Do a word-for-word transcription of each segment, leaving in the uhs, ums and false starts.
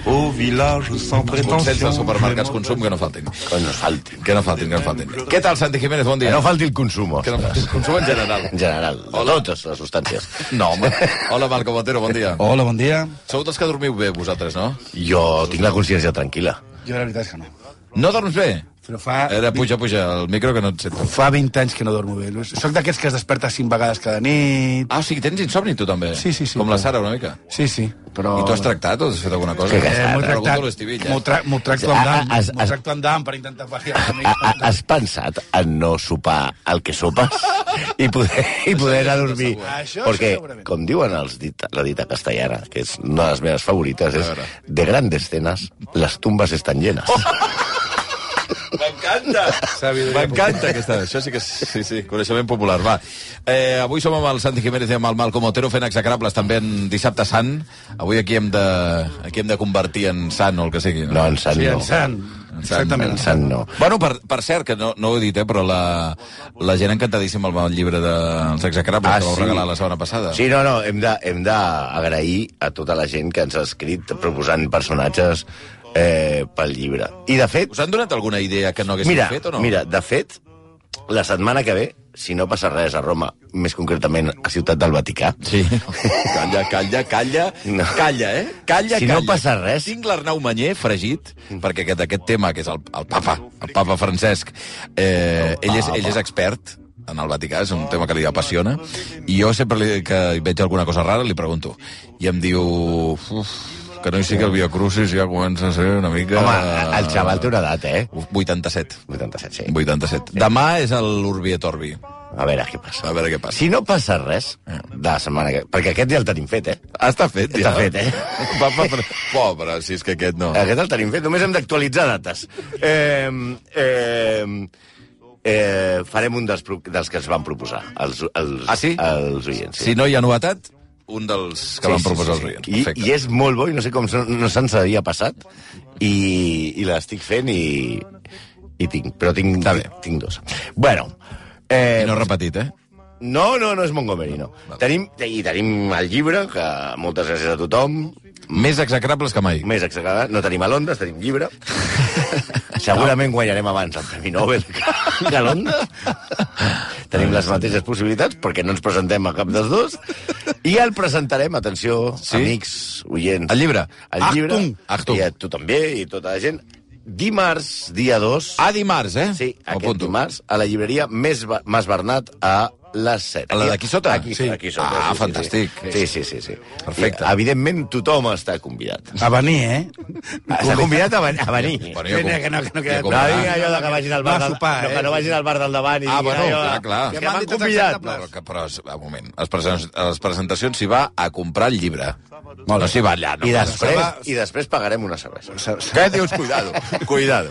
Au village sans prétention. Consells dels supermercats consum que no faltin. Que no faltin. Que no faltin, que no faltin. Què tal, Santi Jiménez? Bon dia. Que no falti el consum, Que no falti el consum en general. En general, de totes les substàncies. No, home. Hola, Malcom Otero, bon dia. Hola, bon dia. Sou dels que dormiu bé, vosaltres, no? Jo tinc la consciència tranquil·la. Jo la veritat és que no. No dorms bé? Però fa... Era, puja, puja, el micro que no et sento. Fa vint anys que no dormo bé. Soc d'aquests que es desperta cinc vegades cada nit. Ah, o sigui, tens insomni tu també? Sí, sí, sí. Com la Sara, una mica? Sí, sí, però... I tu has tractat o has fet alguna cosa? Que Eh, M'ho he tractat, l'estivilla. m'ho tra tracto amb dam, Has- m'ho has- tracto amb dam per intentar pal·liar una Ha- mica. ha- Has pensat en no sopar el que sopes i poder, i poder anar a dormir? Això Perquè, segurament. com diuen els dita, la dita castellana, que és una de les meves favorites, és de grandes cenas, les tumbas estan llenes. M'encanta! M'encanta aquesta. Això sí que és, sí, sí, coneixement popular. Va. Eh, avui som amb el Santi Jiménez i amb el Malcom Otero fent execrables també en dissabte sant. Avui aquí hem de, aquí hem de convertir en sant o el que sigui. No, en sant Sí, no. en sant. Exactament. En sant no. Bueno, per, per cert, que no, no ho he dit, eh, però la, la gent encantadíssima amb el llibre dels execrables Ah, que vau sí. regalar la setmana passada. Sí, no, no, hem de- hem d'agrair a tota la gent que ens ha escrit proposant personatges eh, pel llibre. I, de fet, Us han donat alguna idea que no haguéssiu mira, fet o no? mira, de fet, la setmana que ve, si no passa res a Roma, més concretament a Ciutat del Vaticà, Sí. Calla, calla, calla. No. Calla, eh? Calla, Si calla. no passa res- Tinc l'Arnau Manyer fregit, perquè aquest, aquest tema, que és el, el papa, el papa Francesc, eh, ell, és, ell és expert en el Vaticà, és un tema que li apassiona, i jo sempre li, que veig alguna cosa rara li pregunto. I em diu... Uf, que no hi sigui el Via Crucis ja comença a ser una mica... home, el xaval té una edat, eh? vuitanta-set. vuitanta-set, sí. vuitanta-set. Demà és l'Urbi et Orbi. A veure què passa. A veure què passa. Si no passa res, de la setmana que... Perquè aquest ja el tenim fet, eh? Està fet, ja. Està fet, eh? Papa, però... Pobre, si és que aquest no. Aquest el tenim fet, només hem d'actualitzar dates. Eh, eh, eh, farem un dels, pro- dels que ens van proposar, els, els, Ah, sí? els oients. Sí. Si no hi ha novetat, un dels que Sí, van sí, proposar sí, els sí. oients. I, Perfecte. I és molt bo, i no sé com se- no se'ns havia passat, i, i l'estic fent i, i tinc, però tinc, Està bé. tinc dos. Bueno, eh, I no repetit, eh? no, no, no és Montgomery, no. Tenim, I tenim el llibre, que moltes gràcies a tothom, Més execrables que mai. més exagerat, no tenim a Londres, tenim llibre. Segurament guanyarem abans el Premi Nobel que a Londres. Tenim les mateixes possibilitats, perquè no ens presentem a cap dels dos. I el presentarem, atenció, Sí? amics, oients. El llibre. El llibre. Achtung, Achtung. I a tu també, i tota la gent. Dimarts, dia dos. Ah, dimarts, eh? Sí, Ho aquest apunto. dimarts, a la llibreria Més Ba- Mas Bernat, a les set. A la d'aquí sota? Aquí, Sí. aquí sota. Ah, sí, sí, fantàstic. Sí, sí, sí. sí. Perfecte. I, evidentment, tothom està convidat. A venir, eh? Està convidat a, ven a venir. Bueno, jo com- Que no, que no queda- jo com- No digui allò de que vagin al bar, Va a del, sopar, no, eh? que no vagin al bar del davant i Ah, diguin bueno, allò, clar, clar. Que Que m'han m'han dit els convidat. execrables. Però, que, però, un moment, a les, presen- a les presentacions s'hi va a comprar el llibre. No s'hi va allà. No, I no, després, va- I després pagarem una cervesa. Què dius? Cuidado, cuidado.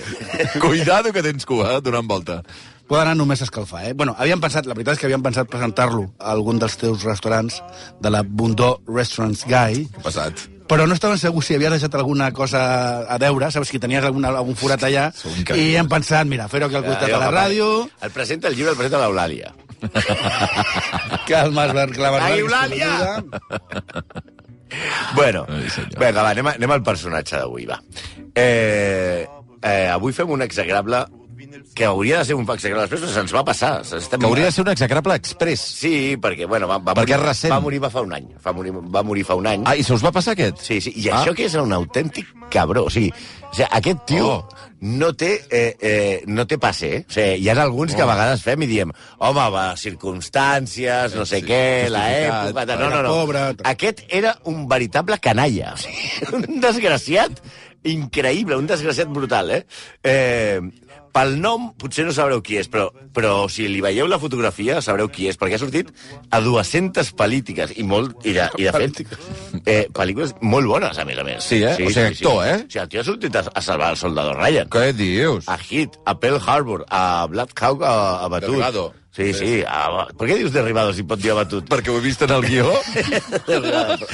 Cuidado que tens cua, eh, donant volta. Pot anar només a escalfar, eh? Bueno, havíem pensat, la veritat és que havíem pensat presentar-lo a algun dels teus restaurants, de la Bundó Restaurants Guy, Què ha passat? però no estaven segurs si havies deixat alguna cosa a deure, saps, si tenies alguna, algun forat allà, Sou increïbles. i hem pensat, mira, fer-ho aquí al costat de la ràdio, El presenta el llibre, el presenta l'Eulàlia. que el Mas Ber- que la Mas Ai, Ber- Eulàlia! Bueno, Ai, senyor. vinga, va, anem, a, anem al personatge d'avui, va. Eh, eh, avui fem un execrable que hauria de ser un execrable després, però se'ns va passar. Estem... Que hauria de ser un execrable express. Sí, perquè, bueno, va, va, Perquè morir, és recent. va morir va fa un any. Va morir, va morir fa un any. Ah, i se us va passar aquest? Sí, sí, i Ah. això que és un autèntic cabró. O sigui, o sigui aquest tio Oh. no té eh, eh, no té passe, eh? O sigui, hi ha alguns que a vegades fem i diem home, va, circumstàncies, no sé Sí, què, la justificat, època... No, era no, no. pobre. Aquest era un veritable canalla. O sigui, un desgraciat increïble, un desgraciat brutal, eh? eh pel nom potser no sabreu qui és, però, però si li veieu la fotografia sabreu qui és, perquè ha sortit a dues-centes pel·lítiques, i, molt, i, de, i de fet, eh, pel·lícules molt bones, a més a més. Sí, eh? O sigui, actor, eh? O sigui, el tio ha sortit a, a salvar el soldador Ryan. Què dius? A Hit, a Pearl Harbor, a Black Hawk, a, a Batut. Derribado. Sí, sí. A, per què dius derribado si pot dir abatut? Perquè ho he vist en el guió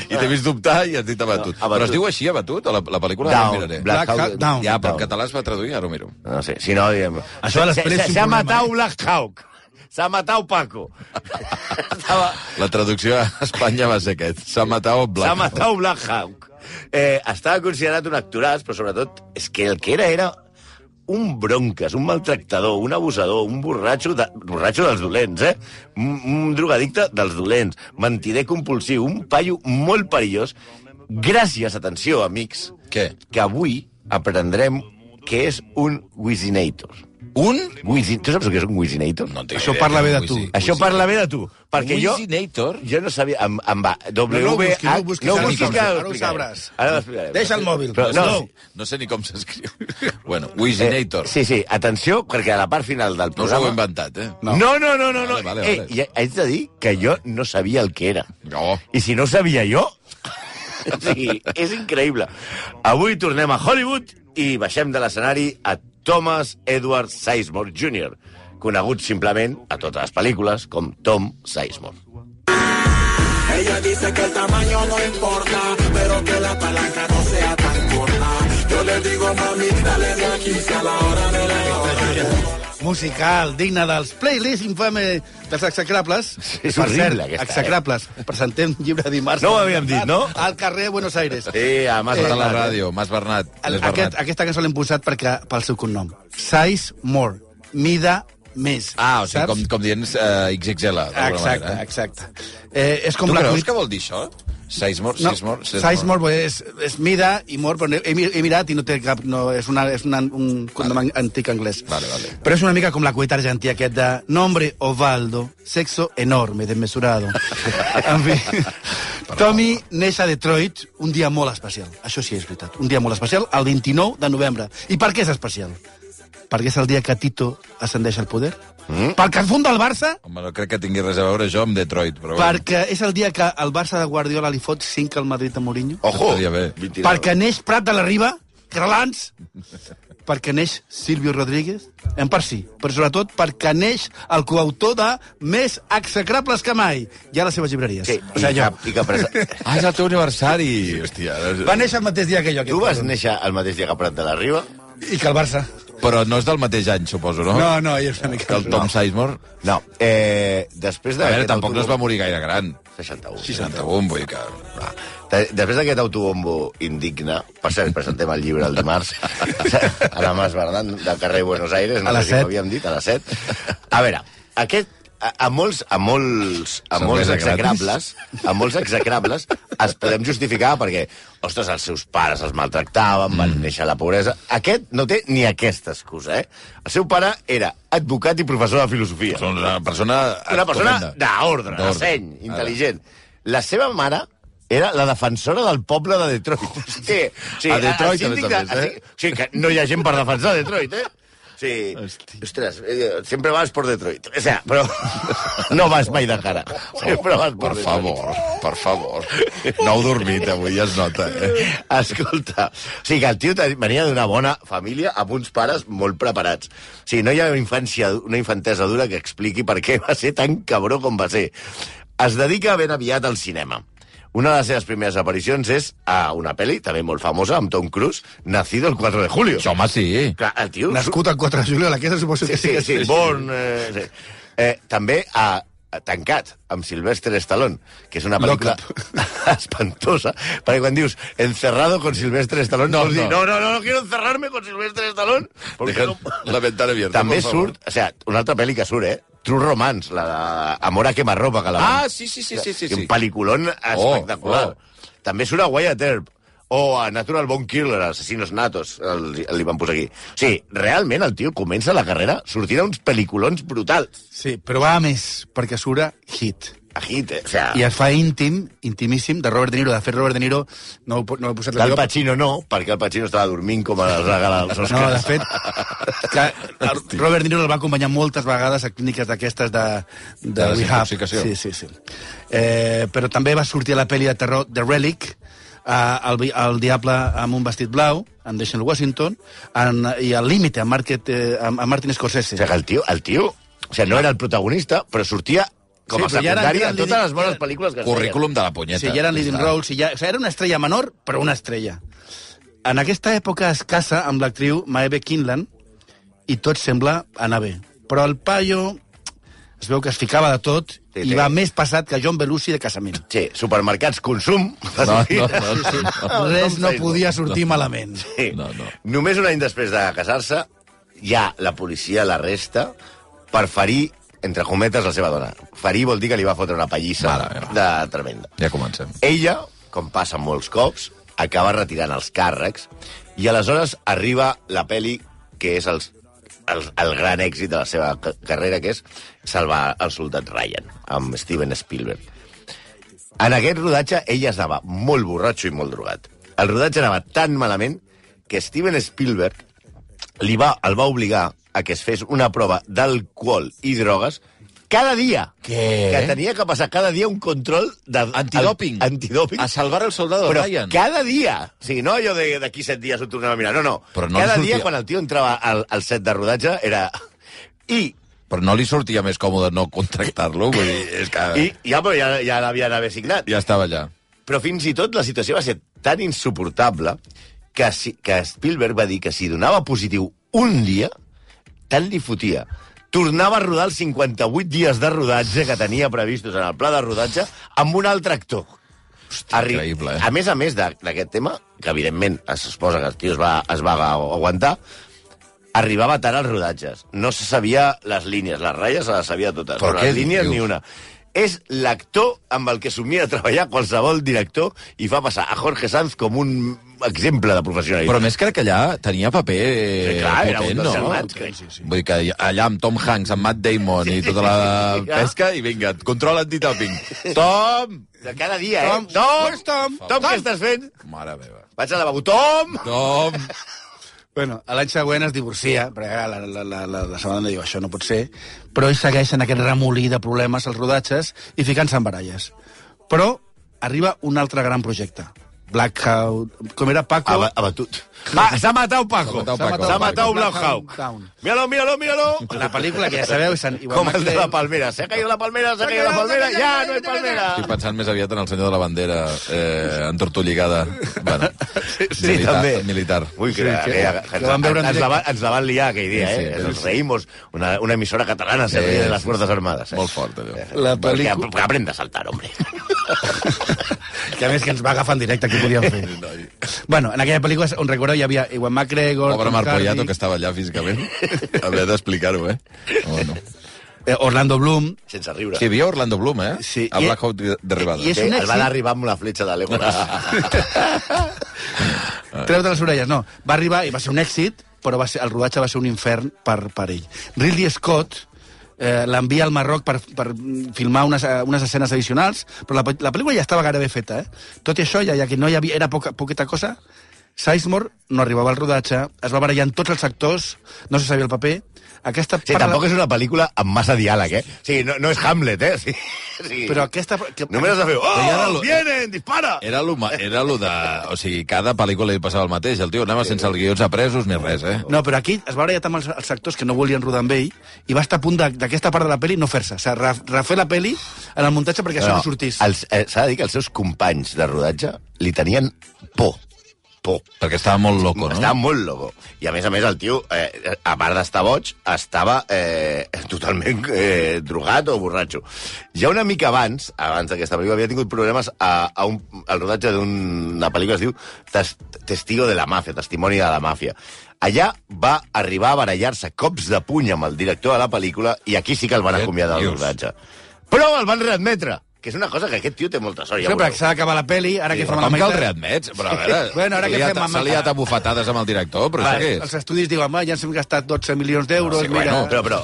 i t'he vist dubtar i has dit abatut. No, Abatut. Però es diu així, abatut? A la, la pel·lícula Down, ara ho miraré. Black Black Hawk, Hawk Down. Ja, però en Down. català es va traduir, ara ho miro. No sé, si no... Diem... Això a l'exprés Se- és un Se ha problema, matat eh? Black Hawk. S'ha matat Paco. Estava... La traducció a Espanya va ser aquest. S'ha matat Black S'ha Hawk. matat Black Hawk. Eh, estava considerat un actoràs, però sobretot és que el que era era un bronques, un maltractador, un abusador, un borratxo, de, borratxo dels dolents, eh? Un, un drogadicte dels dolents, mentider compulsiu, un paio molt perillós. Gràcies, atenció, amics, Què? que avui aprendrem què és un Wizinator. Un? Wizin... Tu saps el que és un Wizinator? No entenc Això idea, parla bé de Wizi- tu. Wizi- Això parla bé de tu, perquè jo... Wizinator? Jo no sabia... Em, em va... W No, no ho busquis, no ho H- busquis, no ho ara ho busquis, que sabràs, ara ho ara ho explicarem. sabràs. Ara ho explicarem. Deixa el mòbil. Però, no, No, no sé ni com s'escriu. Bueno, Wizinator. Eh, sí, sí, atenció, perquè a la part final del No us ho programa... heu inventat, eh? No, no, no, no, no. Vale, vale, Eh, vale. i haig de dir que jo no sabia el que era. No. I si no ho sabia jo... O sigui, és increïble. Avui tornem a Hollywood i baixem de l'escenari a Thomas Edward Sizemore júnior, conegut simplement a totes les pel·lícules com Tom Sizemore. Ella dice que el tamaño no importa, pero que la palanca no sea tan corta. Yo le digo, mami, dale de aquí si a la hora de la hora. Musical, digne dels playlists infame dels execrables. És horrible, Per cert, aquesta, eh? execrables. Presentem llibre dimarts. No ho havíem dit, no? Al carrer Buenos Aires. Sí, a Mas Eh, a la Bernat, eh? ràdio, Mas Bernat. El, L'és aquest, Bernat. aquesta cançó l'hem posat perquè, pel seu cognom. Size more. Mida més. Ah, o sigui, Saps? com, com dient uh, X X L. d'alguna Exacte, manera, eh? exacte. Eh, és com Tu la creus cuit- que vol dir això? Sizemore? No, Sizemore? size more és, és mida i more, però he, he mirat i no té cap... No, és una, és una, un cognom vale. antic anglès. Vale, vale. Però és una mica com la cueta argentí aquest de nombre Osvaldo, sexo enorme, desmesurado. En fi, Tommy neix a Detroit un dia molt especial. Això sí és veritat. Un dia molt especial, el vint-i-nou de novembre. I per què és especial? Perquè és el dia que Tito ascendeix al poder? Mm? Perquè es funda el Barça? Home, no crec que tingui res a veure això amb Detroit, però... Perquè és el dia que el Barça de Guardiola li fot cinc al Madrid a Mourinho? Ojo! Estaria bé. vint-i-nou. Perquè neix Prat de la Riba, Crelans, perquè neix Silvio Rodríguez, en part sí, però sobretot perquè neix el coautor de Més execrables que mai, ja a les seves llibreries. Sí, O sigui, i, jo. que, i que presa... Ah, és el teu aniversari! Hòstia. Va néixer el mateix dia que jo. Tu vas néixer el mateix dia que Prat de la Riba? I que el Barça. Però no és del mateix any, suposo, no? No, no, ell és una mica... Que el Tom Sizemore? No. Eh, després A veure, d'aquest tampoc no es va morir gaire gran. seixanta-u. seixanta-un, vull dir que... Ah. De- Després d'aquest autobombo indigne, per cert, presentem el llibre el dimarts, a la Mas Bernat, del carrer Buenos Aires, no A les sé si ho set. havíem dit, a les set. A veure, aquest, a, a molts, a molts, a Cervesa molts gratis. execrables, a molts execrables, es podem justificar perquè, ostres, els seus pares els maltractaven, van Mm. néixer a la pobresa. Aquest no té ni aquesta excusa, eh? El seu pare era advocat i professor de filosofia. És una persona... Una persona estupenda. d'ordre, de D'ordre. seny, intel·ligent. La seva mare era la defensora del poble de Detroit. Sí, sí, A Detroit, el síndic a més a més, de- Sí, que no hi ha gent per defensar Detroit, eh? Sí, ostres, eh, sempre vas por Detroit. O sea, però no vas mai de cara. Sempre vas por Per Detroit. favor, per favor. No heu dormit avui, ja es nota, eh? Escolta, o sigui que el tio te- venia d'una bona família amb uns pares molt preparats. O sigui, no hi ha una infància, una infantesa dura que expliqui per què va ser tan cabró com va ser. Es dedica ben aviat al cinema. Una de les seves primeres aparicions és a una pel·li, també molt famosa, amb Tom Cruise, Nacido el cuatro de julio. Això, home, sí. Clar, el tio... Nascut el quatre de juliol, aquesta suposo Sí, que sí, sí, que Born... Eh, sí. Eh, també a, a Tancat, amb Sylvester Stallone, que és una pel·lícula espantosa, perquè quan dius encerrado con Sylvester Stallone, No, vols dir, no. no, no, no, no quiero encerrarme con Sylvester Stallone. Porque Deja no... la ventana abierta, També por favor. surt, o sea, una altra pel·li que surt, eh? True Romance, la de Amor a quemarropa, que la Ah, sí, sí, sí, sí, sí, sí. Un pel·liculón espectacular. oh. També surt a Wyatt Earp, o a Natural Born Killer, Assassinos Natos, el, el, li van posar aquí. O sigui, realment el tio comença la carrera sortint a uns pel·liculons brutals. Sí, però va a més, perquè surt a Hit. A hit, eh? O sea, I es fa íntim, intimíssim, de Robert De Niro. De fet, Robert De Niro, no, ho- no he posat la del teva- Pacino no, perquè el Pacino estava dormint com a les regala dels Oscars. No, de fet, que el Robert De Niro el va acompanyar moltes vegades a clíniques d'aquestes de, de, De rehab. desintoxicació. Sí, sí, sí. Eh, però també va sortir a la pel·li de terror The Relic, eh, el, vi- el diable amb un vestit blau, amb Denzel Washington, en, i al límite, amb, Market, eh, amb, amb Martin Scorsese. O sigui, que el tio, el tio, o sigui, no era el protagonista, però sortia com a Sí, però ja era- secundari era en totes leading- les bones era- pel·lícules que es Currículum de la punyeta. Sí, ja eren leading Ja està. roles, i ja, o sigui, era una estrella menor, però una estrella. En aquesta època es casa amb l'actriu Maeve Kinlan i tot sembla anar bé. Però el paio es veu que es ficava de tot Sí, i sí. va més passat que John Belushi de casament. Sí, supermercats, consum... No, no, no, Sí, sí. no. Res no podia sortir malament. Sí. No, no. Només un any després de casar-se, ja la policia l'arresta per ferir, entre cometes, la seva dona. Ferir vol dir que li va fotre una pallissa Mare meva. de tremenda. Ja comencem. Ella, com passa molts cops, acaba retirant els càrrecs i aleshores arriba la peli que és el, el, el gran èxit de la seva ca- carrera, que és Salvar el soldat Ryan, amb Steven Spielberg. En aquest rodatge ella estava molt borratxo i molt drogat. El rodatge anava tan malament que Steven Spielberg li va, el va obligar a que es fes una prova d'alcohol i drogues cada dia. Què? Que tenia que passar cada dia un control de... Antidòping. Al, antidòping. A salvar el soldado Però Ryan. cada dia. O sigui, no allò de- d'aquí set dies ho tornem a mirar. No, no. Però no cada li sortia- dia, quan el tio entrava al, al set de rodatge, era... I, Però no li sortia més còmode no contractar-lo? Vull dir, és que... i ja, però ja, ja l'havien haver signat. Ja estava allà. Però fins i tot la situació va ser tan insuportable que, si, que Spielberg va dir que si donava positiu un dia, tant li fotia. Tornava a rodar els cinquanta-vuit dies de rodatge que tenia previstos en el pla de rodatge amb un altre actor. Hòstia, increïble, eh? A més a més de- d'aquest tema, que evidentment es suposa que el tio es va, es va aguantar, arribava tard als rodatges. No se sabia les línies, les ratlles se les sabia totes. Però Però què les línies dius? ni una. És l'actor amb el que somia treballar qualsevol director i fa passar a Jorge Sanz com un exemple de professionalitat. Però més crec que allà tenia paper Sí, clar, era un potent, dels no? germans, crec. Sí, sí. Vull dir que allà amb Tom Hanks, amb Matt Damon i tota la Sí, clar. pesca, i vinga, control antitòping. Tom! De cada dia, eh? Tom, Tom! where's Tom? Tom, què estàs fent? Mare meva. Vaig al lavabo. Tom! Tom! Bueno, a l'any següent es divorcia, perquè la, la, la, la, la seva dona diu això no pot ser, però ell segueix en aquest remolí de problemes als rodatges i ficant-se en baralles. Però arriba un altre gran projecte. Blackout... Com era, Paco? Aba, abatut. Va, s'ha matat Paco. S'ha matat Paco. S'ha matat Blackout Blackout. Down. Míralo, míralo, míralo. La pel·lícula que ja sabeu és en Iwan Com el de la McGregor. palmera. Se ha caído la palmera, se ha caído la palmera. Ja no hay palmera. Estic pensant més aviat en el senyor de la bandera, eh, entortolligada. Bueno, Sí, militar, també. militar. Ui, que, Sí, que, que- que, que van veure en ens, la, directe. van- ens la van liar aquell dia, Sí, eh? sí, Nos sí. reímos. Una, una emissora catalana se ríe de las fuerzas armadas. Eh? Molt fort, allò. La Perquè, pel·lícula... perquè aprenda a saltar, hombre. Que a més que ens va agafar en directe, què podíem fer? Bueno, en aquella pel·lícula, on recordeu, hi havia Iwan McGregor... Pobre Tom Marc Hardy, Poyato, que estava allà físicament. Havia d'explicar-ho, eh? Bueno. eh, Orlando Bloom... Sense riure. Sí, hi havia Orlando Bloom, eh? Sí, A i- Blackout d'arribada. i és Sí, un el va èxit. d'arribar amb la fletxa de Legolas. Treure les orelles, no. Va arribar i va ser un èxit, però va ser, el rodatge va ser un infern per, per ell. Ridley Scott eh, l'envia al Marroc per, per filmar unes, eh, unes escenes addicionals, però la, pe- la pel·lícula ja estava gairebé feta, eh? Tot i això, ja, ja que no hi havia, era poca, poqueta cosa, Sizemore no arribava al rodatge, es va barallar amb tots els actors, no se sabia el paper. Aquesta Sí, tampoc és una pel·lícula amb massa diàleg, eh? Sí, no, no és Hamlet, eh? Sí, sí. Però aquesta... Que... Només has de fer... Però ja era Oh, lo- vienen, dispara! Era lo, ma- era lo de... O sigui, cada pel·lícula li passava el mateix. El tio anava sense els guions apresos ni res, eh? No, però aquí es va barallar amb els, els actors que no volien rodar amb ell i va estar a punt de- d'aquesta part de la peli no fer-se. O sigui, ref- refer la peli en el muntatge perquè això no sortís. els- eh, S'ha de dir que els seus companys de rodatge li tenien por. Por. Perquè estava molt loco, no? Estava molt loco. I a més a més el tio, eh, a part d'estar boig, estava eh, totalment eh, drogat o borratxo. Ja una mica abans, abans d'aquesta pel·lícula, havia tingut problemes a, a un, al rodatge d'una pel·lícula que es diu Tes, Testigo de la Màfia, Testimoni de la Màfia. Allà va arribar a barallar-se cops de puny amb el director de la pel·lícula i aquí sí que el van Què acomiadar del dius? rodatge. Però el van readmetre, que és una cosa que aquest tio té molta sort. Ja Sempre veureu. que s'ha d'acabar la peli, ara Sí, que Però fem com la que el meitat... readmets? Però a veure, Bueno, ara s'ha que liat- fem amb- s'ha liat a bufetades amb el director, però Va, això què és? els estudis diuen, home, ja ens hem gastat dotze milions d'euros, Sí, mira... bueno, Però, però,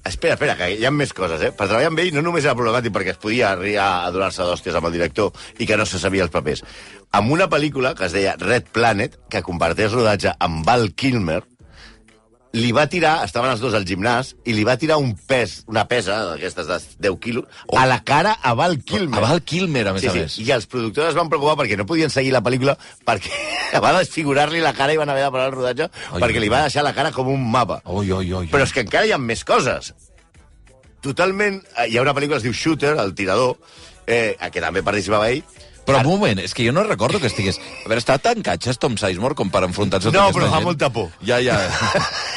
espera, espera, que hi ha més coses, eh? Per treballar amb ell no només era problemàtic perquè es podia arribar a donar-se d'hòsties amb el director i que no se sabia els papers. Amb una pel·lícula que es deia Red Planet, que comparteix rodatge amb Val Kilmer, li va tirar, estaven els dos al gimnàs, i li va tirar un pes, una pesa d'aquestes de deu quilos, a la cara a Val Kilmer. A Val Kilmer, a més Sí, a sí, més. i els productors es van preocupar perquè no podien seguir la pel·lícula perquè va desfigurar-li la cara i van haver de parar el rodatge Ai, perquè ai, li va deixar la cara com un mapa. Oi, oi, oi. Però és que encara hi ha més coses. Totalment... eh, Hi ha una pel·lícula que es diu Shooter, el tirador, eh, a què també participava ell, Però un moment, és que jo no recordo que estigués... A veure, està tan catxes Tom Sizemore com per enfrontar-se a No, tota però aquesta fa gent? molta por. Ja, ja.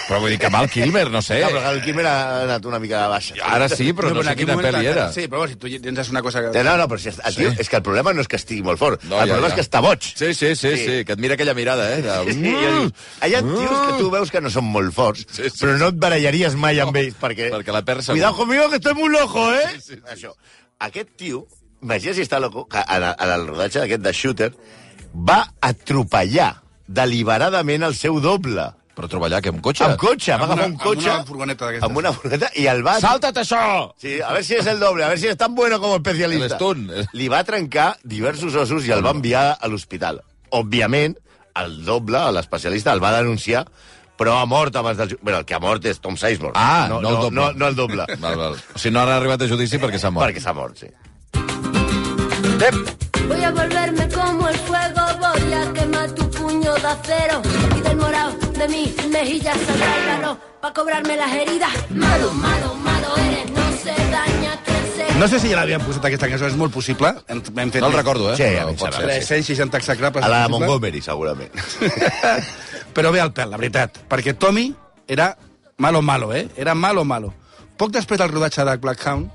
Però vull dir que Val Kilmer, no sé. No, però el Quim ha anat una mica de baixa. Ara sí, però no, en sé aquell quina moment, pel·li clar, era. Sí, però si tu tens una cosa... Que... No, no, però si el tio, és que el problema no és que estigui molt fort. No, el ja, problema ja. és que està boig. Sí, sí, sí, sí, sí, que et mira aquella mirada, eh? De... Sí, ja dius, hi ha tios que tu veus que no són molt forts, Sí, sí, però no et barallaries mai amb No, ells, perquè... perquè la perds segur. Cuidado conmigo, que estoy muy loco, eh? Sí, sí, sí. Això. Aquest tio, imagina si està loco, que en, en el rodatge d'aquest de Shooter, va atropellar deliberadament el seu doble. Però treballar, que amb cotxe? Amb cotxe, va Amb agafar una- un cotxe... amb una furgoneta d'aquestes. Amb una furgoneta, i el va... Salta't això! Sí, a ver si es el doble, a ver si es tan bueno como especialista. El stunt. Li va trencar diversos ossos i el va enviar a l'hospital. Òbviament, el doble, l'especialista, el va denunciar, però ha mort abans del... Bueno, el que ha mort és Tom Sizemore. Ah, no, no el doble. No, no el doble. Val, val. O sigui, no han arribat a judici perquè s'ha mort. Perquè s'ha mort, sí. Voy a volverme como el fuego, voy a quemar tu puño de acero y del morado de mi mejilla saldrá el valor para cobrarme las heridas. Malo, malo, malo eres, no se daña quien se... No sé si ja l'havien posat aquesta cançó, és molt possible. Hem, hem fet No el recordo, eh? Sí, Però a mi em pot sembla. ser. tres-cents seixanta execrables. A la de possible. Montgomery, segurament. Però ve al pèl, la veritat. Perquè Tommy era malo malo, eh? Era malo malo. Poc després del rodatge de Blackhound...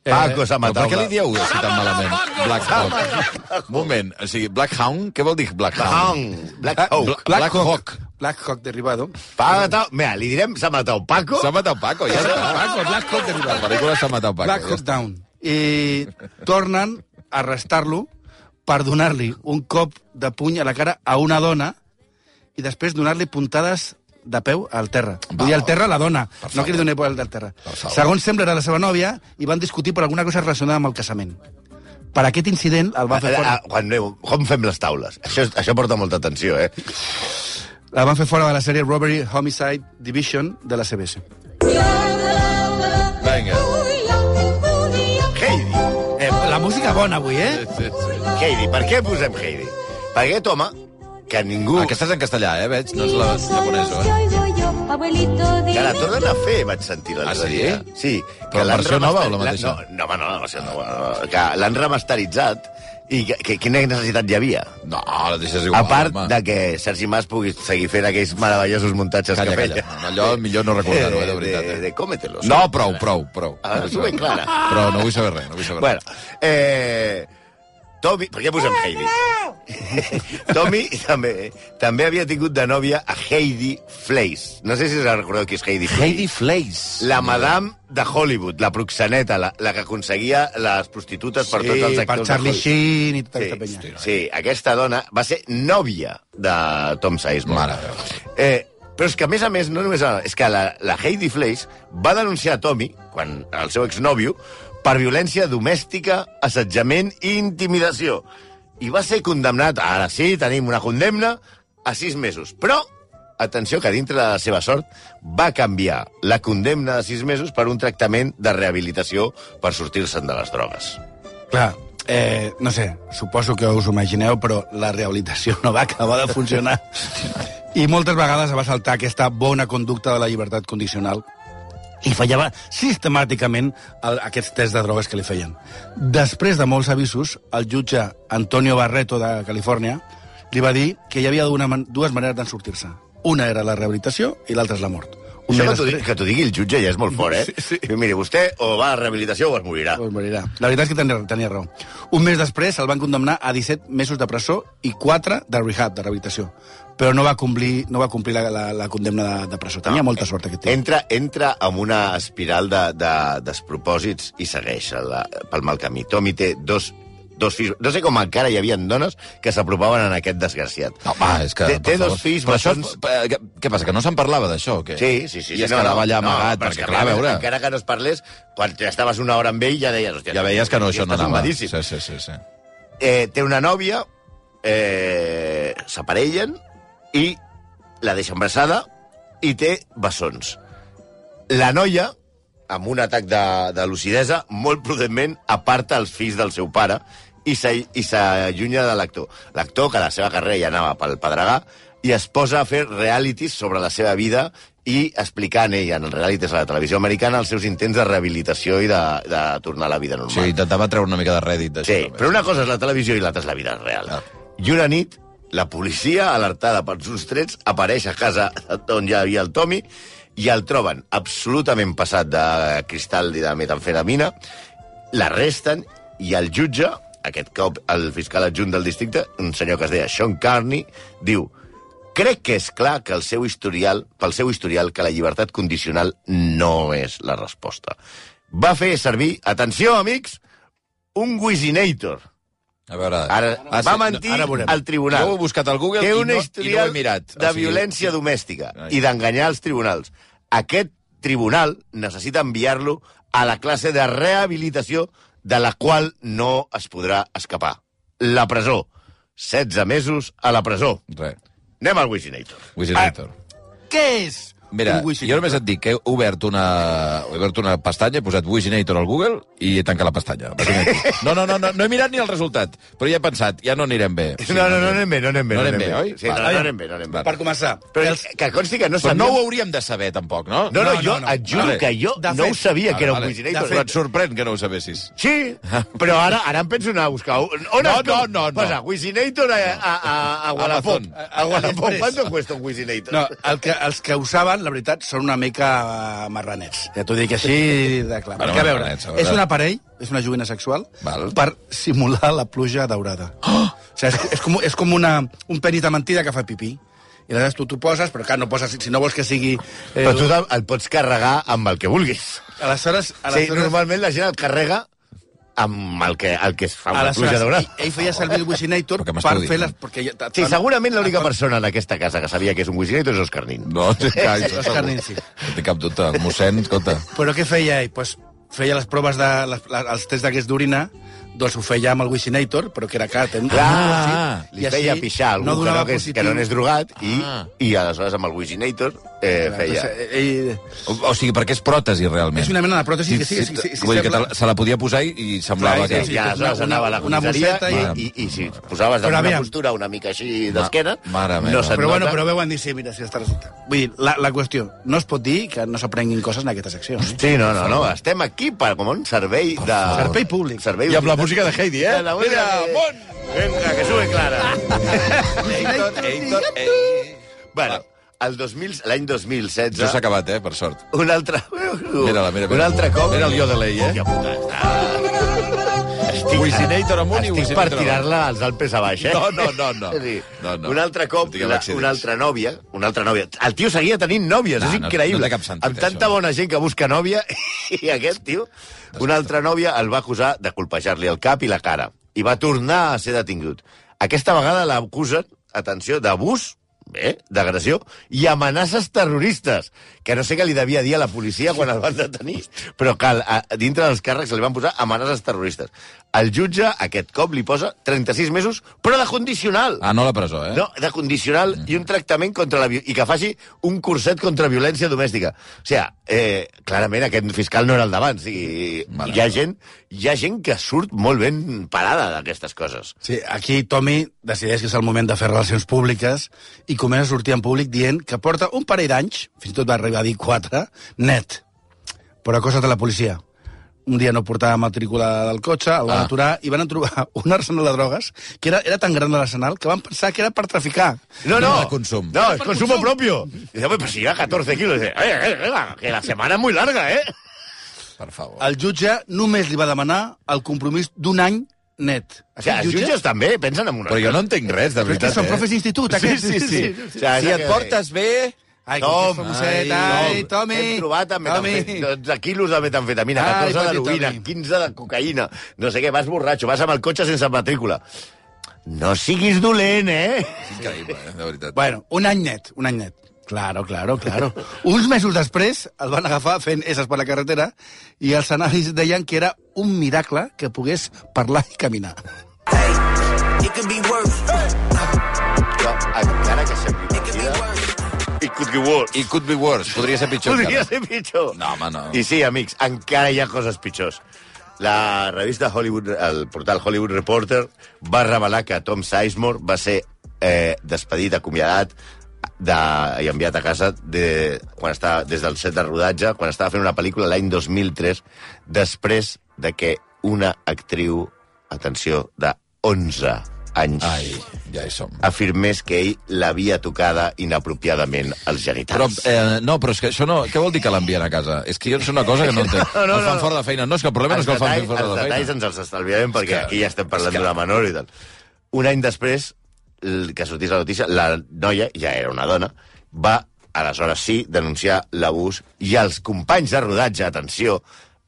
Paco s'ha Però matat. per què li dieu així tan malament? Black Hawk. Moment, o sigui, Black Hound, què vol dir Black Hound? Black Ah, Hawk. Bla- Black Hawk. Black Hawk derivado. Ha matat... Mira, li direm, s'ha matat Paco. S'ha matat Paco, ja està. Paco, Black Hawk La derivado. pel·lícula s'ha matat Paco. Black ja Hawk està. Down. I tornen a arrestar-lo per donar-li un cop de puny a la cara a una dona i després donar-li puntades de peu al terra. Vull dir, al terra la dona, no que li doni pel del terra. favor. Segons sembla, era la seva nòvia i van discutir per alguna cosa relacionada amb el casament. Per aquest incident el van fer Ah, fora, ah, Quan aneu, com fem les taules? Això, això porta molta atenció, eh? la van fer fora de la sèrie Robbery Homicide Division de la C B S. Vinga. Heidi. Eh, la música bona avui, eh? Sí, sí. Heidi. Per què posem Heidi? Perquè aquest home, que ningú... Aquesta és en castellà, eh, veig? No és la japonesa, eh? Que la tornen a fer, vaig sentir l'altre Ah, sí? dia. Sí. Però que la l'han versió nova o la remaster- mateixa? No, no, home, no, la versió nova. no, Que l'han remasteritzat i que, que, quina necessitat hi havia? No, la deixes igual, A part home. de que Sergi Mas pugui seguir fent aquells meravellosos muntatges Calla, que calla. feia. Allò millor no recordar-ho, eh, de veritat. De, Eh? de cómetelos. No, prou, prou, prou. Ah, s'ho ben clara. Però no vull saber res, no vull saber Bueno, res. eh, Tommy... Per què posem Heidi? Tommy també, també havia tingut de nòvia a Heidi Fleiss. No sé si us recordeu qui és Heidi Fleiss. Heidi Fleiss. La madame de Hollywood, la proxeneta, la, la que aconseguia les prostitutes per tots els per actors Charlie de Hollywood. Sheen i tota aquesta Sí, penya. sí, aquesta dona va ser nòvia de Tom Sizemore. Mare meva. Eh, però és que, a més a més, no només... És que la, la Heidi Fleiss va denunciar a Tommy, quan el seu exnòvio, per violència domèstica, assetjament i intimidació. I va ser condemnat, ara sí, tenim una condemna, a sis mesos. Però, atenció, que dintre de la seva sort va canviar la condemna de sis mesos per un tractament de rehabilitació per sortir-se'n de les drogues. Clar, eh, no sé, suposo que us ho imagineu, però la rehabilitació no va acabar de funcionar. I moltes vegades va saltar aquesta bona conducta de la llibertat condicional i fallava sistemàticament el, aquests tests de drogues que li feien. Després de molts avisos, el jutge Antonio Barreto de Califòrnia li va dir que hi havia una, man- dues maneres d'en sortir-se. Una era la rehabilitació i l'altra és la mort. Un Això mes que t'ho digui, després- que t'ho digui el jutge ja és molt fort, eh? Sí, sí. Diu, miri, vostè o va a rehabilitació o es morirà. Pues morirà. La veritat és que tenia, tenia raó. Un mes després el van condemnar a disset mesos de presó i quatre de rehab, de rehabilitació. Però no va complir, no va complir la, la, la condemna de, de presó. Tenia molta sort, aquest tio. Entra, entra en una espiral de, de despropòsits i segueix la, pel mal camí. Tommy té dos, dos fills... No sé com encara hi havia dones que s'apropaven en aquest desgraciat. No, va, és que... Té, per té favor. dos fills Però això, bessons... és- eh, què, què passa, que no se'n parlava d'això? o què? Sí, sí, sí. I sí, es quedava allà no, amagat, però és perquè, que, clar, a veure... Encara que no es parlés, quan ja estaves una hora amb ell ja deies... Hòstia, Ja veies que no, això no estàs anava. zumbadíssim. Sí, sí, sí, sí. Eh, té una nòvia, eh, s'aparellen i la deixa embarassada i té bessons. La noia, amb un atac de, de lucidesa, molt prudentment aparta els fills del seu pare i s'all- i s'allunya de l'actor. L'actor, que la seva carrera ja anava pel pedregar, i es posa a fer realities sobre la seva vida i explicant ell en el reality de la televisió americana els seus intents de rehabilitació i de, de tornar a la vida normal. Sí, intentava treure una mica de rèdit d'això. Sí, però una cosa és la televisió i l'altra és la vida real. Ah. I una nit, la policia, alertada pels uns trets, apareix a casa on hi havia el Tommy i el troben absolutament passat de cristal i de metamfetamina, l'arresten i el jutge, aquest cop el fiscal adjunt del districte, un senyor que es deia Sean Carney, diu: crec que és clar que el seu historial, pel seu historial, que la llibertat condicional no és la resposta. Va fer servir, atenció, amics, un Wizinator. A veure... Ara, ah, va sí, mentir ara al tribunal. Jo ho he buscat al Google Té i una no, i no ho historial he mirat. de O sigui... violència domèstica Ai. i d'enganyar els tribunals. Aquest tribunal necessita enviar-lo a la classe de rehabilitació de la qual no es podrà escapar. La presó. setze mesos a la presó. Res. Anem al Wizinator. Wizinator. Què és Mira, un Wizinator? jo només et dic que he obert una, he obert una pestanya, he posat Wizinator al Google i he tancat la pestanya. No, no, no, no, no he mirat ni el resultat, però ja he pensat, ja no anirem bé. Sí, no, no, no anem bé, no anem bé. No anem bé, oi? Sí, no, Va, no anem bé, no anem bé. Per començar. Però els... que consti que no Però sabíem... no ho hauríem de saber, tampoc, no? No, no, No, jo no, no. et juro Vale. que jo De no fet- ho sabia que era un Vale, Wizinator. Però et sorprèn que no ho sabessis. Sí, però ara ara em penso anar a buscar... On No, es no, no, no. Posa Wizinator a, a, a, a Wallapop. Amazon. A Wallapop. Després. ¿Cuánto cuesta un Wizinator? No, el que, els que ho saben, la veritat, són una mica uh, marranets. Ja t'ho dic així de clar. Bueno, Perquè, a veure, marranets, a veure. és un aparell, és una joguina sexual, Val. per simular la pluja daurada. Oh! O sigui, és, és com, és com una, un penis de mentida que fa pipí. I aleshores tu t'ho poses, però clar, no poses, si no vols que sigui... Eh, Però tu el, el pots carregar amb el que vulguis. Aleshores, Sí, aleshores, normalment la gent el carrega amb el que, el que es fa amb la pluja aleshores daurada. ell, ell feia servir el Wizinator Perquè per m'estudis, fer no? les... Perquè, ja- Sí, segurament l'única persona en aquesta casa que sabia que és un Wizinator és Òscar Nin. No, té cap, Òscar Nin, sí. no té cap dubte. El mossèn, escolta... Però què feia ell? Pues feia les proves de... Les, les, els tests d'aquests d'orina, doncs ho feia amb el Wizinator, però que era car. Ten... Clar, I li així feia pixar algú no que, donava no, que, és, positiu. que no n'és drogat i, Ah. i aleshores amb el Wizinator eh, feia... Entonces, ell... O, o sigui, perquè és pròtesi, realment. És una mena de pròtesi que sí, sí, sí, sí, Vull dir que sembla- te, se la podia posar i, i semblava Clar, sí, que... sí. I aleshores una- anava a la una comissaria mosseta i, i, i si posaves Però en una aviam. postura una mica així d'esquena, mare meva. no se't Però bueno, nota. però veuen dir, sí, mira, sí, està resultat. Vull dir, la, la qüestió, no es pot dir que no s'aprenguin coses en aquesta secció. Eh? Sí, no, no, no, estem aquí per, com un servei de... Servei públic. Servei I amb la música de Heidi, eh? I la música Mira, de- món! Venga, que sube Clara. Eitor, Eitor, ei. Bueno, el dos mil, l'any dos mil setze... Això s'ha acabat, eh, per sort. Un altre... Mira-la, mira, Un mira. altre cop... Mira el Yodelei, eh? Hòstia puta, està... Estic, Wizinator amunt i estic Wizinator per avall. tirar-la als Alpes a baix, eh? No, no, no, no. Sí. No, no. Un altre cop, No tinguem la, accidents. una altra nòvia, una altra nòvia. El tio seguia tenint nòvies, No, és no- increïble. no té cap sentit, Amb tanta això. bona gent que busca nòvia, i aquest tio, una altra nòvia el va acusar de colpejar-li el cap i la cara. I va tornar a ser detingut. Aquesta vegada l'acusen, atenció, d'abús, bé, d'agressió, i amenaces terroristes, que no sé què li devia dir a la policia quan el van detenir, però que a, a, dintre dels càrrecs li van posar amenaces terroristes. El jutge, aquest cop, li posa trenta-sis mesos, però de condicional. Ah, no a la presó, eh? No, de condicional i un tractament contra la... vi- i que faci un curset contra violència domèstica. O sigui, eh, clarament aquest fiscal no era el d'abans. I, Vale. hi, ha gent, hi ha gent que surt molt ben parada d'aquestes coses. Sí, aquí Tommy decideix que és el moment de fer relacions públiques i comença a sortir en públic dient que porta un parell d'anys, fins i tot va arribar a dir quatre, net. Però a coses de la policia. Un dia no portava matrícula del cotxe, el van Ah. aturar i van trobar un arsenal de drogues que era, era tan gran l'arsenal que van pensar que era per traficar. No, No, no, de consum. No, es consumo propio. Y dice, pues si lleva catorce kilos. Dice, oye, eh, eh, que la semana es muy larga, ¿eh? Per favor. El jutge només li va demanar el compromís d'un any net. O sigui, els jutges també pensen en una Però jo no entenc res, de Però és que veritat, són eh? profes d'institut, Sí, aquests. sí, sí. O sigui, Si et portes bé... Ai, Tom, que famoset, ai, ai, Tommy. Hem trobat amb Tommy. metamfe- dotze quilos de metamfetamina, Ai, catorze petit d'heroïna, Tommy. quinze de cocaïna, no sé què, vas borratxo, vas amb el cotxe sense matrícula. No siguis dolent, eh? Increïble, eh? De veritat. Bueno, un any net, un any net. Claro, claro, claro. Uns mesos després el van agafar fent esses per la carretera i els anàlisis deien que era un miracle que pogués parlar i caminar. It could be worse. Jo, encara que sembli mentida... It could be worse. It could be worse. Podria ser pitjor. Podria encara. ser pitjor. No, home, no. I sí, amics, encara hi ha coses pitjors. La revista Hollywood, el portal Hollywood Reporter va revelar que Tom Sizemore va ser eh, despedit, acomiadat, de, i enviat a casa de, quan estava, des del set de rodatge, quan estava fent una pel·lícula l'any dos mil tres, després de que una actriu, atenció, de onze anys, Ai, ja hi som. afirmés que ell l'havia tocada inapropiadament als Però, genitals. eh, no, però és que això no... Què vol dir que l'envien a casa? És que jo és una cosa que no entenc. No, no, el fan no. fora de feina. No, és que el problema no és que el fan detalls, fora els de detalls feina. ens els estalviarem perquè que- aquí ja estem parlant és que- d'una menor i tal. Un any després l- que sortís la notícia, la noia, ja era una dona, va, aleshores sí, denunciar l'abús i els companys de rodatge, atenció,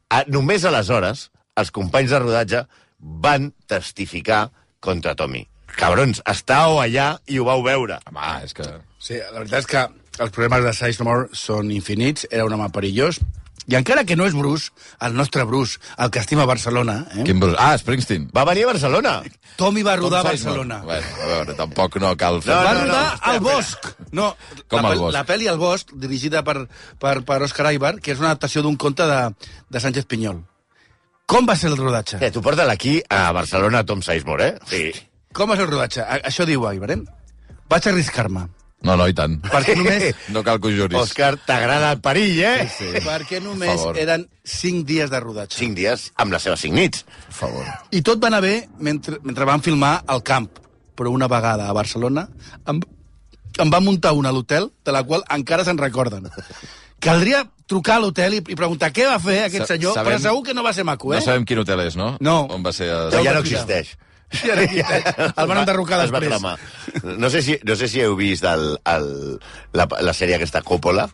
a, només aleshores els companys de rodatge van testificar contra Tommy. Cabrons, estàveu allà i ho vau veure. Home, és que... Sí, la veritat és que els problemes de Sizemore són infinits, era un home perillós, i encara que no és Bruce, el nostre Bruce, el que estima Barcelona, eh? Quin Bruce? Ah, Springsteen. Va venir a Barcelona. Tommy va rodar a Tom Sizemore. Barcelona. Bueno, a veure, tampoc no cal fer... No, Va no, no, rodar espera, al espera. Bosc. No, Com la, al pel- Bosc? La pel·li El Bosc, dirigida per, per, per Òscar Aibar, que és una adaptació d'un conte de, de Sánchez Pinyol. Com va ser el rodatge? Eh, tu porta aquí a Barcelona Tom Sizemore, eh? Sí. Com va ser el rodatge? A, això diu Aibar, eh? Vaig arriscar-me. No, no, i tant. Perquè només, No cal que ho juris. Òscar, t'agrada el perill, eh? Sí. perquè només favor. eren cinc dies de rodatge. Cinc dies amb les seves cinc nits. Per favor. I tot va anar bé mentre, mentre van filmar al camp. Però una vegada a Barcelona em, em va muntar una a l'hotel, de la qual encara se'n recorden. Caldria trucar a l'hotel i, i preguntar què va fer aquest Sa- senyor, sabem- però segur que no va ser maco, eh? No sabem quin hotel és, no? No. On va ser... A... Però ja no ho explicar. existeix. Ja no existeix. El van enderrocar Es va després. cremar. No sé si, no sé si heu vist el, el, la, la sèrie aquesta Coppola.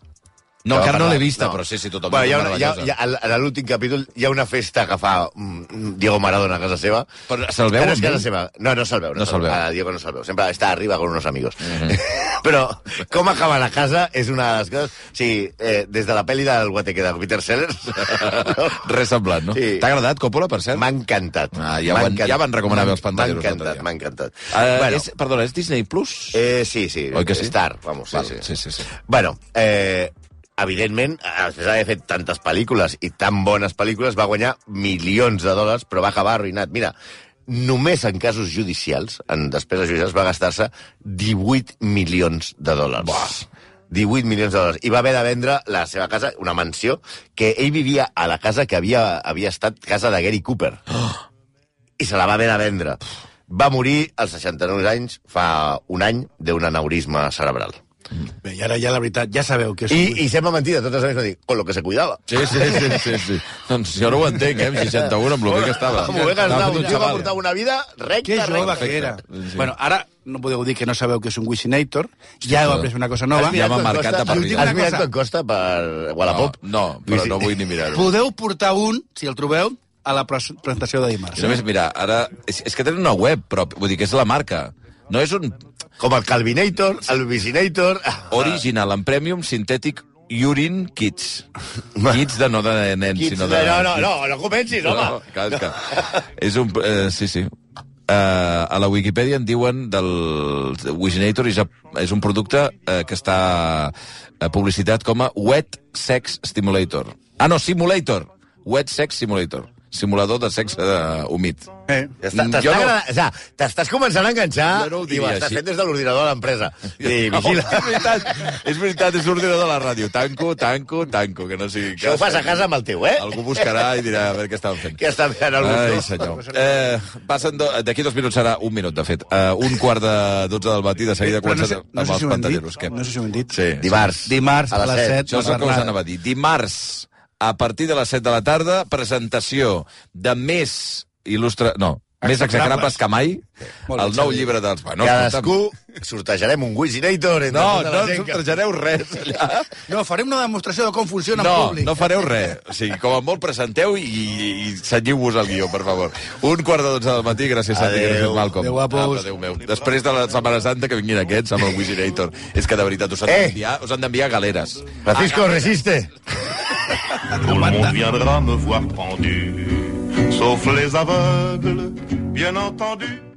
No, Que va encara no parlar- l'he vista, però sí, sí, tothom Bueno, hi ha, torna una, a hi ha, casa. hi ha, a l'últim capítol hi ha una festa que fa mm, Diego Maradona a casa seva. Però se'l veu Que no és amb casa ell? seva. No, no se'l veu. No se'l veu. A Diego no se'l veu. Sempre està arriba con unos amigos. Però com acaba la casa és una de les coses... Sí, eh, des de la pel·li del Guateque de Peter Sellers... Res semblant, no? Sí. T'ha agradat Coppola, per cert? M'ha encantat. Ah, ja M'ha van- encantat. ja van recomanar bé els M'ha pantalleros l'altre encantat, dia. m'ha encantat. Uh, bueno, és, perdona, és Disney Plus? eh, sí, sí. Oi que sí? Star, vamos. Sí, Val, sí. sí, sí, sí. Bueno, eh, evidentment, després d'haver fet tantes pel·lícules i tan bones pel·lícules, va guanyar milions de dòlars, però va acabar arruïnat. Mira, només en casos judicials, en despeses judicials, va gastar-se divuit milions de dòlars. Buah. divuit milions de dòlars. I va haver de vendre la seva casa, una mansió, que ell vivia a la casa que havia, havia estat casa de Gary Cooper. Oh. I se la va haver de vendre. Va morir als seixanta-nou anys, fa un any, d'un aneurisma cerebral. Bé, i ara ja la veritat, ja sabeu que és... I, i sembla mentida, totes les veces, con lo que se cuidava. Sí, sí, sí, sí, sí. Doncs jo no ho entenc, eh, amb seixanta-un, amb lo bé que estava. Amb lo bé que estava, fet un un tio que xaval. portava una vida recta, Que jove recta. que era. Sí. Bueno, ara no podeu dir que no sabeu que és un Wishinator, ja heu après una cosa nova. Ja m'ha marcat a Has per vida. Has mirat Una tot costa per Wallapop? No, no, però no vull ni mirar-ho. Podeu portar un, si el trobeu, a la pres- presentació de dimarts. I només, mira, ara... És, és que tenen una web, però vull dir que és la marca. No és un Com el Calvinator, el Vicinator... original en premium sintètic urine kits. Kits de no de nens, Kids, sinó de... no, no, no, no comencis, home. No, clar, és que és un... Eh, sí, sí. Uh, a la Wikipedia en diuen del Wishinator és, és un producte uh, que està uh, publicitat com a Wet Sex Stimulator. Ah, no, Simulator. Wet Sex Simulator. Simulador de sexe uh, humit. Eh. Ja està, Jo t'està no- agradant- o sigui, t'estàs començant a enganxar Jo no ho i ho diria estàs així. fent des de l'ordinador de l'empresa. I vigila. No, és veritat, és veritat, és l'ordinador de la ràdio. Tanco, tanco, tanco, que no sigui... Això ho fas a casa amb el teu, eh? Algú buscarà i dirà a veure què estaven fent. Què està fent el Ai, botó? senyor. Eh, passen do... D'aquí dos minuts serà un minut, de fet. Uh, un quart de dotze del matí, de seguida Però no comença sé- no amb sé els si ho hem pantalleros. dit. No sé si ho hem dit. Sí. Dimarts. Dimarts a les set. Això és el que us anava a dir. Dimarts, a partir de les set de la tarda, presentació de més il·lustre... No, més execrables que mai, Molt bé, el nou Xavi. llibre dels... Bueno, Cadascú sortejarem un Wishinator entre No, tota no la ens gent que... sortejareu res allà. No, farem una demostració de com funciona en No, públic. no fareu res. O sigui, com a molt presenteu i, i cenyiu-vos el guió, per favor. Un quart de dotze del matí, gràcies, Santi, Adéu. gràcies, Malcolm. Adéu, guapos. Apa, Adéu meu. Després de la Setmana Santa que vinguin aquests amb el Wishinator. És que de veritat us han Eh! d'enviar us han d'enviar galeres. Francisco, resiste. Tout le monde viendra me voir pendu, sauf les aveugles, bien entendu.